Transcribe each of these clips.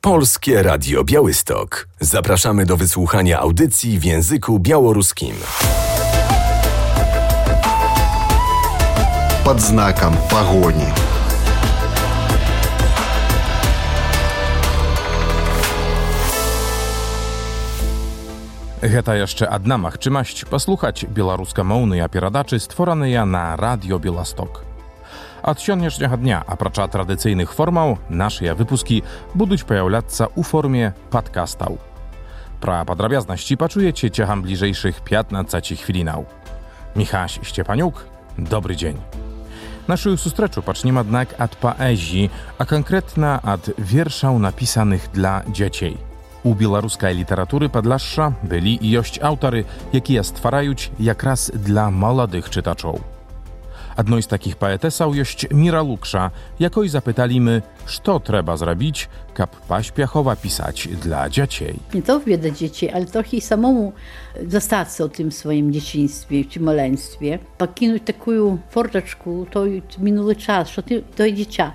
Polskie Radio Białystok. Zapraszamy do wysłuchania audycji w języku białoruskim. Pod znakiem pogoni. Гэта яшчэ адна магчымасць паслухаць беларускамоўныя перадачы, створаныя на радіё Беласток. Ад сённяшняга дня, апрача традыцыйных формаў, нашыя выпускі будуць паяўляцца ў форме падкастаў. Пра падрабязнасці пачуеце цягам бліжэйшых 15 хвілінаў. Міхась Сцепанюк, добры дзень. Нашу сустрэчу пачнем аднак ад паэзіі, а канкрэтна ад вершаў, напісаных для дзяцей. У беларускай літаратуры Падляшша былі і ёсць аўтары, якія ствараюць якраз для маладых чытачоў. Адной з такіх паэтэсаў ёсць Міра Лукша, якой запыталіmy, што трэба зрабіць, каб паспяхова пісаць для дзяцей. Nie to wie dla dzieci, ale trochę i samemu zostać o tym swoim dzieciństwie czy maleństwie. Покинуть такую форточку, той минулый час, що ти той дитя.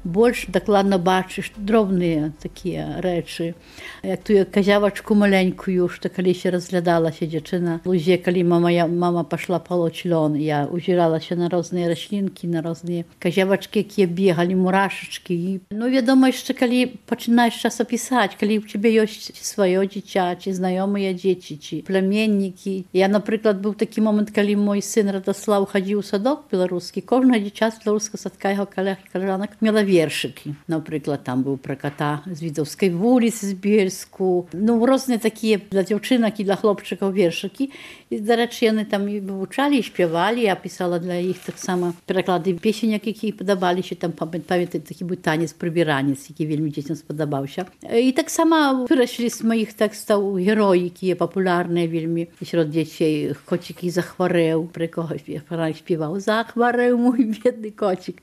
Больш дакладна бачыш дробныя такія рэчы. Як тую казявачку маленькую, што калісь разглядалася дзяўчына в лузе, калі мама пашла палоць лён, я узіралася на розныя раслінкі, на розныя казявачкі, якія бегалі, мурашачкі. Ну, вядома, яшчэ калі пачынаеш час пісаць, калі ў цябе ёсць сваё дзіця, ці знаёмыя дзеці, ці пляменнікі. Я, напрыклад, быў такі момант, калі мой сын Радаслаў хадзіў у садок беларускі, кожнае дзіця з беларускага садка яго калянак мела вершыкі. Напрыклад, там быў пра ката з Відаўскай вуліцы, з Бельску. Ну, розныя такія для дзяўчынак і для хлопчыкаў вершыкі. І, дарэчы, яны там і вывучалі, і спявалі. Я пісала для іх таксама пераклады песенек, якія падабаліся. Там, памятаю, такі быў танец прыбіранец, які вельмі дзецям спадабаўся. І таксама выраслі з маіх тэкстаў героі, якія папулярныя вельмі сярод дзяцей. Коцік і захварэў, пры кого спеваў «Захварэў мой бедны коцік».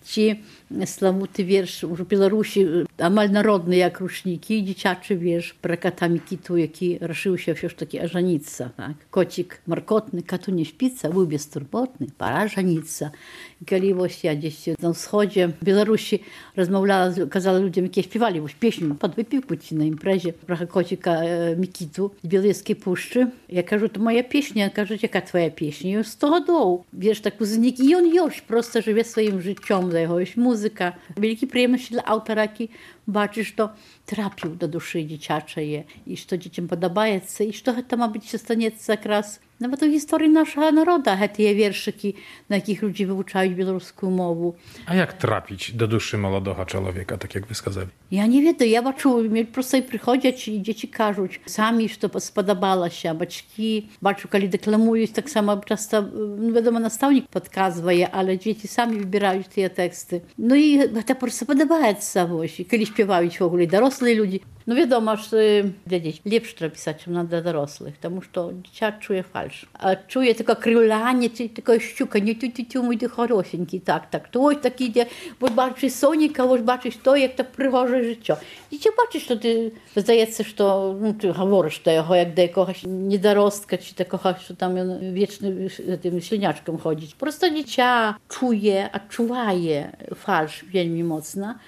Ці славуты верш у Беларусі амаль народны, як ручнікі, дзіцячы верш пра ката Мікіту, які рашыўся ўсё ж такі ажаніцца. Так? Коцік маркотны, кату не спіцца, быў бестурботны, пара жаніцца. І калі вось я дзесь на ўсходзе Беларусі размаўляла, казала людзям, якія спявалі вось песню пад выпіўку ці на імпрэзе пра коціка Мікіту з Белэскай пушчы. Я кажу, то моя песня, кажуць, яка твоя песня? Ёй 100 гадоў. Верш так узнік, і ён ёсць, проста жыве сваім жыццём, за яго ёсць музыка. Вялікі прыемнасці для аўтара, які бачыць, што трапіў да душы дзіцячае і што дзецям падабаецца, і што гэта, мабыць, застанецца якраз нават у гісторыі нашага народа, гэтыя вершыкі, на якіх людзі вывучаюць беларускую мову. А як трапіць да душы маладога чалавека, так як вы сказалі? Я не ведаю, я бачу, проста і прыходзяць, і дзеці кажуць самі, што спадабалася, бацькі, бачу, калі дэкламуюць, таксама часта, вядома, настаўнік падказвае, але дзеці самі выбіраюць тыя тэксты. Ну і гэта проста падабаецца, вось, і калі спяваюць в ogóle дарослыя людзі. Ну, вядома, што для дзеці лепш трэба пісаць, чым для дарослых, таму што дзіця чуе фальш. А чуе таке крыўлянне, такое шчуканне, тю-тю-тю, мой ты хорошенькі, так, той такі, де, вось бачыш соніка, вось бачыш то, як так прыгожае жыццё. Дзіця бачыш, што ты, здаецца, што, ну, ты гаворыш да яго, як да якогось недаростка, ці такога, што там ён вечны тым слінячкам ходзіць. Проста дзіця чуе, адчувае фальш вельмі моцна.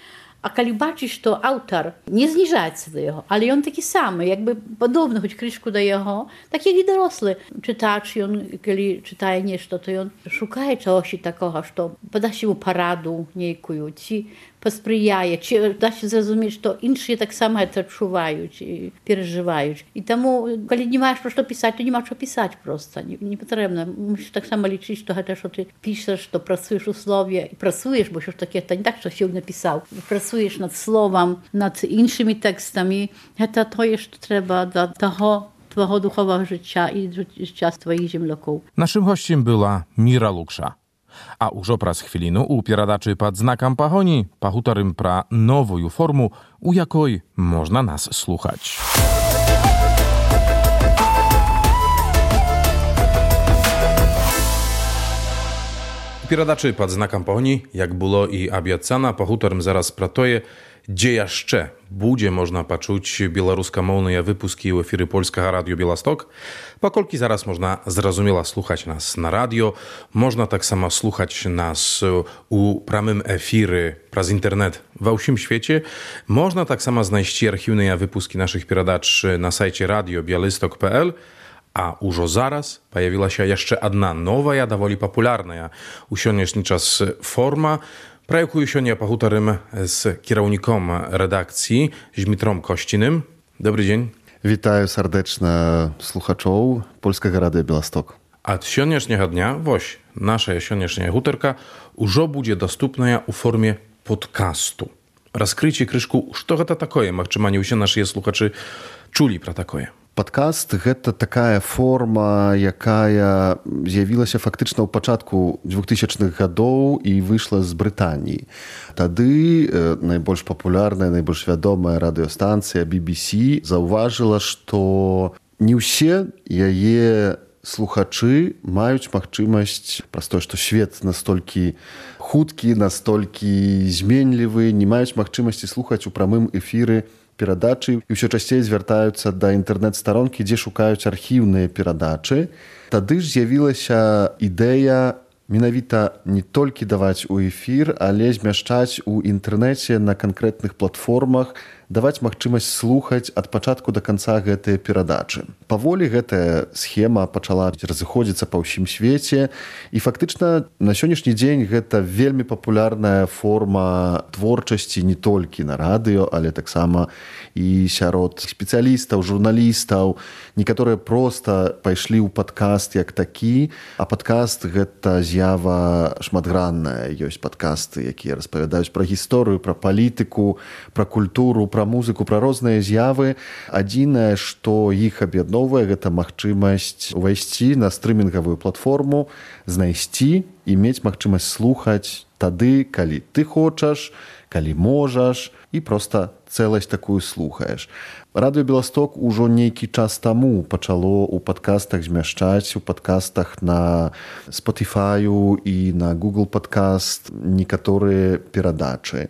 А калі бачыш, што аўтар не зніжаецца да яго, але ён такі самы, як бы падобны хоць крышку да яго, так як і дарослы чытач, ён, калі чытае нешта, то ён шукае чагосьці такога, што падасць яму параду нейкую, ці паспрыяе, ці дасць зразумець, што іншыя таксама гэта адчуваюць і перажываюць. І таму, калі не маеш пра што пісаць, то няма што пісаць проста, не патрэбна. Мусіш таксама лічыць, што гэта, што ты пішаш, што працуеш у слове, і працуеш, бо ўсё ж такі, это не так, што сёння напісаў. Працуеш над словам, над іншымі тэкстамі. Гэта тое, што трэба да таго твого духового жыцця і жыцця твоіх землякоў. Нашым госцем была Міра Лукша. А ўжо праз хвіліну у перадачы «Пад знакам пагоні» пагутарым пра новую форму, у якой можна нас слухаць. У перадачы «Пад знакам пагоні», як было і абяцана, пагутарым зараз пра тое, gdzie jeszcze będzie można poczuć białoruskомовne wypuski w efirze Polskiego Radio Białystok, pokolki zaraz można zrozumiała słuchać nas na radio, można tak samo słuchać nas u pramym efirze przez internet w wszym świecie, można tak samo znaleźć archiwne wypuski naszych передач na sajcie radiobialystok.pl, a już zaraz pojawiła się jeszcze jedna nowa, dowoli popularna u dzisiejszy czas forma, про яку сёння пагутарым з кіраўніком рэдакцыі Змітром Косціным. Добрый дзень. Вітаю сардэчна слухачоў Польскага радыё Беласток. Ад сённяшняга дня, вось, наша сённяшняя гутарка ўжо будзе даступная ў форме подкасту. Раскрыйце крышку, што гэта такое? Магчыма, не ўсе нашыя слухачы чулі пра такое. Падкаст – гэта такая форма, якая з'явілася фактычна ў пачатку 2000-х гадоў і выйшла з Брытаніі. Тады найбольш папулярная, найбольш вядомая радыёстанцыя BBC заўважыла, што не ўсе яе слухачы маюць магчымасць, праз тое, што свет настолькі хуткі, настолькі зменлівы, не маюць магчымасці слухаць у прамым эфіры перадачы і ўсё часцей звяртаюцца да інтэрнэт-старонкі, дзе шукаюць архіўныя перадачы. Тады ж з'явілася ідэя менавіта не толькі даваць у эфір, але змяшчаць у інтэрнэце на канкрэтных платформах, даваць магчымасць слухаць ад пачатку да канца гэтыя перадачы. Паволі гэтая схема пачала разыходзіцца па ўсім свеце, і фактычна на сённяшні дзень гэта вельмі папулярная форма творчасці не толькі на радыё, але таксама і сярод спецыялістаў, журналістаў. Некаторыя проста пайшлі ў падкаст як такі, а падкаст гэта з'ява шматгранная. Ёсць падкасты, якія распавядаюць пра гісторыю, пра палітыку, пра культуру, пра музыку, пра розныя з'явы. Адзінае, што іх аб'ядноўвае, гэта магчымасць увайсці на стрымінгавую платформу, знайсці і мець магчымасць слухаць тады, калі ты хочаш, калі можаш, і проста цэласць такую слухаеш. Радыё Беласток ужо нейкі час таму пачало ў падкастах змяшчаць, у падкастах на Spotify і на Google Podcast некаторыя перадачы.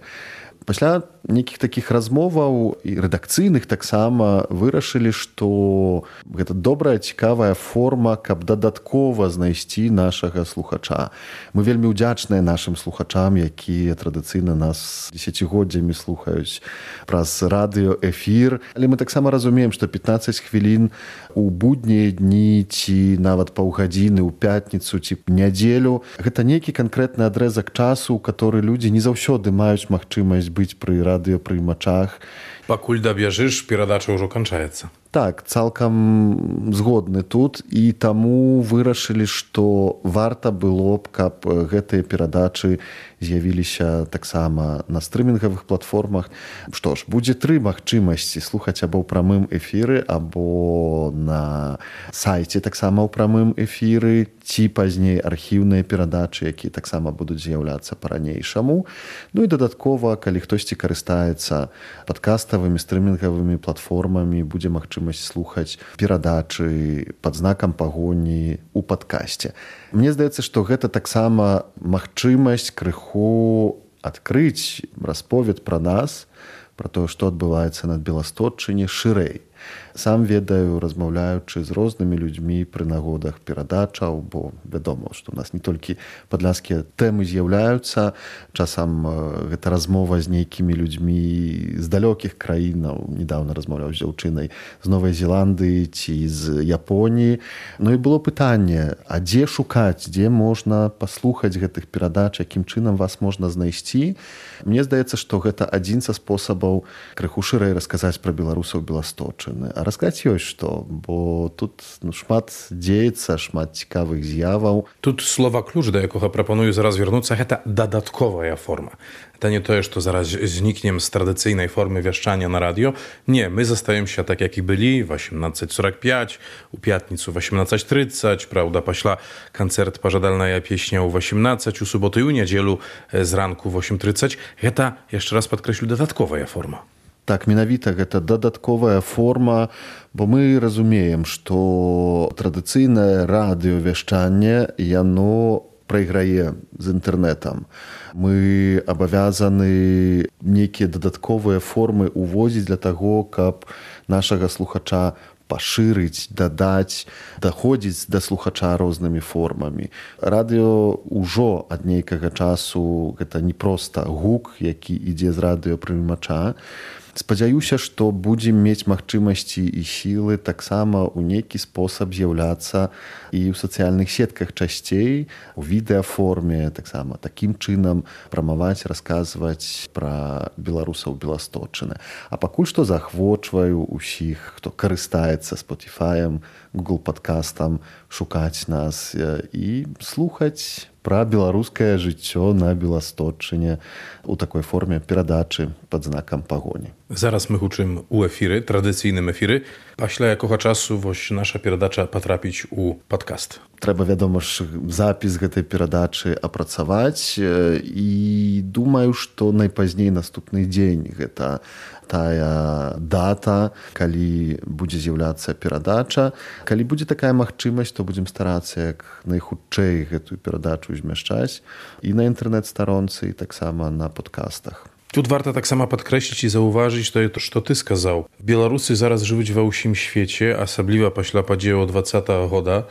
Пасля нейкіх такіх размоваў і рэдакцыйных таксама вырашылі, што гэта добрая, цікавая форма, каб дадаткова знайсці нашага слухача. Мы вельмі ўдзячныя нашым слухачам, якія традыцыйна нас дзесяцігоддзямі слухаюць праз радыёэфір. Але мы таксама разумеем, што 15 хвілін у буднія дні ці нават паўгадзіны ў пятніцу ці нядзелю гэта нейкі канкрэтны адрэзак часу, у каторы людзі не заўсёды маюць магчымасць быць пры радыёпрыймачах. Пакуль дабяжыш, перадача ўжо канчаецца. Так, цалкам згодны тут, і таму вырашылі, што варта было б, каб гэтыя перадачы з'явіліся таксама на стрымінгавых платформах. Што ж, будзе 3 магчымасці слухаць або ў прамым эфіры, або на сайце таксама ў прамым эфіры, ці пазней архіўныя перадачы, якія таксама будуць з'яўляцца па-ранейшаму. Ну і дадаткова, калі хтосьці карыстаецца падкаставымі стрымінгавымі платформамі, будзе магчымасць слухаць перадачы пад знакам пагоні ў падкасце. Мне здаецца, што гэта таксама магчымасць крыху адкрыць расповед пра нас, пра тое, што адбываецца на Беласточчыне шырэй. Сам ведаю, размаўляючы з рознымі людзьмі пры нагодах перадачаў, бо вядома, што ў нас не толькі падляшскія тэмы з'яўляюцца, часам гэта размова з нейкімі людзьмі з далёкіх краінаў. Недаўна размаўляў з дзяўчынай з Новай Зеландыі ці з Японіі. Ну і было пытанне, а дзе шукаць, дзе можна паслухаць гэтых перадач, якім чынам вас можна знайсці? Мне здаецца, што гэта адзін са спосабаў крыху шырэй расказаць пра беларусаў Беласточчыны. А расказаць ёсць што, бо тут шмат дзеецца, шмат цікавых з'яваў. Тут слова ключ, да якога прапаную зараз вярнуцца, гэта дадатковая форма. Это не тое, што зараз знікнем з традыцыйнай формы вяшчання на радыё. Не, мы застаемся так, як і былі, 18:45, у пятніцу 18:30, правда, пашла канцэрт «Пажадальная песня» ў 18, у суботу і ў нядзелю зранку 8:30. Гэта, яшчэ раз падкрэслю, дадатковая форма. Так, менавіта гэта дадатковая форма, бо мы разумеем, што традыцыйнае радыёвяшчанне, яно прайграе з інтэрнэтам. Мы абавязаны нейкія дадатковыя формы ўвозіць для таго, каб нашага слухача пашырыць, дадаць, даходзіць да слухача рознымі формамі. Радыё ўжо ад нейкага часу гэта не проста гук, які ідзе з радыёпрымача. Спадзяюся, што будзем мець магчымасці і сілы таксама ў нейкі спосаб з'яўляцца і ў сацыяльных сетках часцей, у відэаформе, таксама такім чынам прамаваць, расказваць пра беларусаў Беласточчыны. А пакуль што заахвочваю ўсіх, хто карыстаецца Spotify, Google Падкастам, шукаць нас і слухаць пра беларускае жыццё на Беласточчыне у такой форме перадачы пад знакам пагоні. Зараз мы гучым у эфіры, традыцыйным эфіры. Пасля якога часу вось наша перадача патрапіць у падкаст? Трэба, вядома ж, запіс гэтай перадачы апрацаваць і думаю, што найпазней наступны дзень гэта тая дата, калі будзе з'яўляцца перадача. Калі будзе такая магчымасць, то будзем старацца як найхутчэй гэтую перадачу змяшчаць і на інтэрнэт-старонцы, і таксама на падкастах. Тут варта таксама падкрэсліць і заўважыць тое, што ты сказаў. Беларусы зараз жывуць ва ўсім свеце, асабліва пасля падзеяў 20-го года.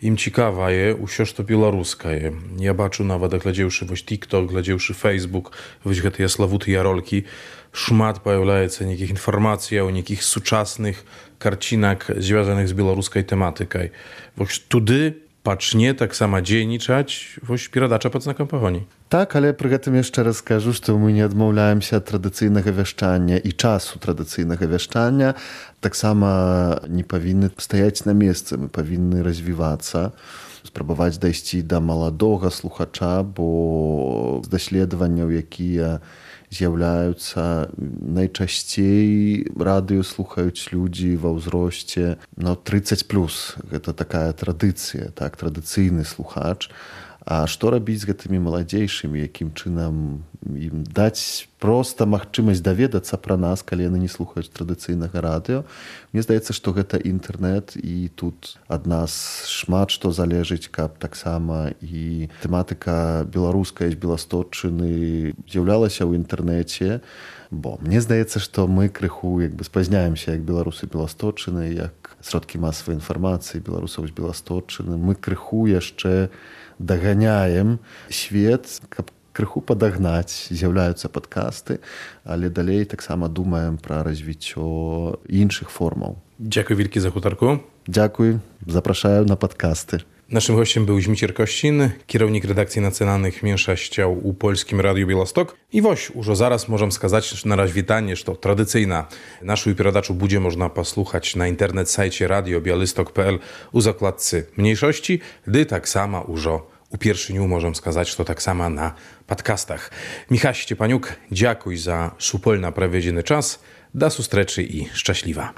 Ім цікавае ўсё, што беларускае. Я бачу нават, глядзеўшы вось TikTok, глядзеўшы Facebook, вось гэтыя славутыя ролікі, шмат паяўляецца нейкіх інфармацыяў, нейкіх сучасных карцінак, звязаных з беларускай тэматыкай. Вось туды пачне таксама дзейнічаць вось перадача пад знакам пагоні. Так, але пры гэтым яшчэ раз скажу, што мы не адмаўляемся ад традыцыйнага вяшчання і часу традыцыйнага вяшчання. Таксама не павінны стаяць на месцы, мы павінны развівацца, спрабаваць дайсці да маладога слухача, бо з даследаванняў, якія з'яўляюцца, найчасцей радыё слухаюць людзі ва ўзросце 30+. Гэта такая традыцыя, так, традыцыйны слухач. А што рабіць з гэтымі маладзейшымі, якім чынам ім даць проста магчымасць даведацца пра нас, калі яны не слухаюць традыцыйнага радыё? Мне здаецца, што гэта інтэрнэт, і тут ад нас шмат што залежыць, каб таксама і тэматыка беларуская з Беласточчыны з'яўлялася ў інтэрнэце, бо мне здаецца, што мы крыху спазняемся як беларусы Беласточчыны, як сродкі масавай інфармацыі беларусаў з Беласточчыны. Мы крыху яшчэ даганяем свет, каб крыху падагнаць, з'яўляюцца падкасты, але далей таксама думаем пра развіццё іншых формаў. Дзякуй вялікі за гутарку. Дзякуй, запрашаю на падкасты. Naszym gościem był Zmicier Kościn, kierownik redakcji nacjonalnych mniejszościach u Polskim Radiu Białystok. I woś, już zaraz możemy skazać na rozwitanie, że tradycyjna naszą передачу będzie można posłuchać na internet sajcie radiobialystok.pl u zakładcy mniejszości, gdy tak samo już u pierwszy dniu możemy skazać, że to tak samo na podcastach. Michał Szczepaniuk, dziękuję za supolna prawiedziny czas. Do sustreczy i szczęśliwa.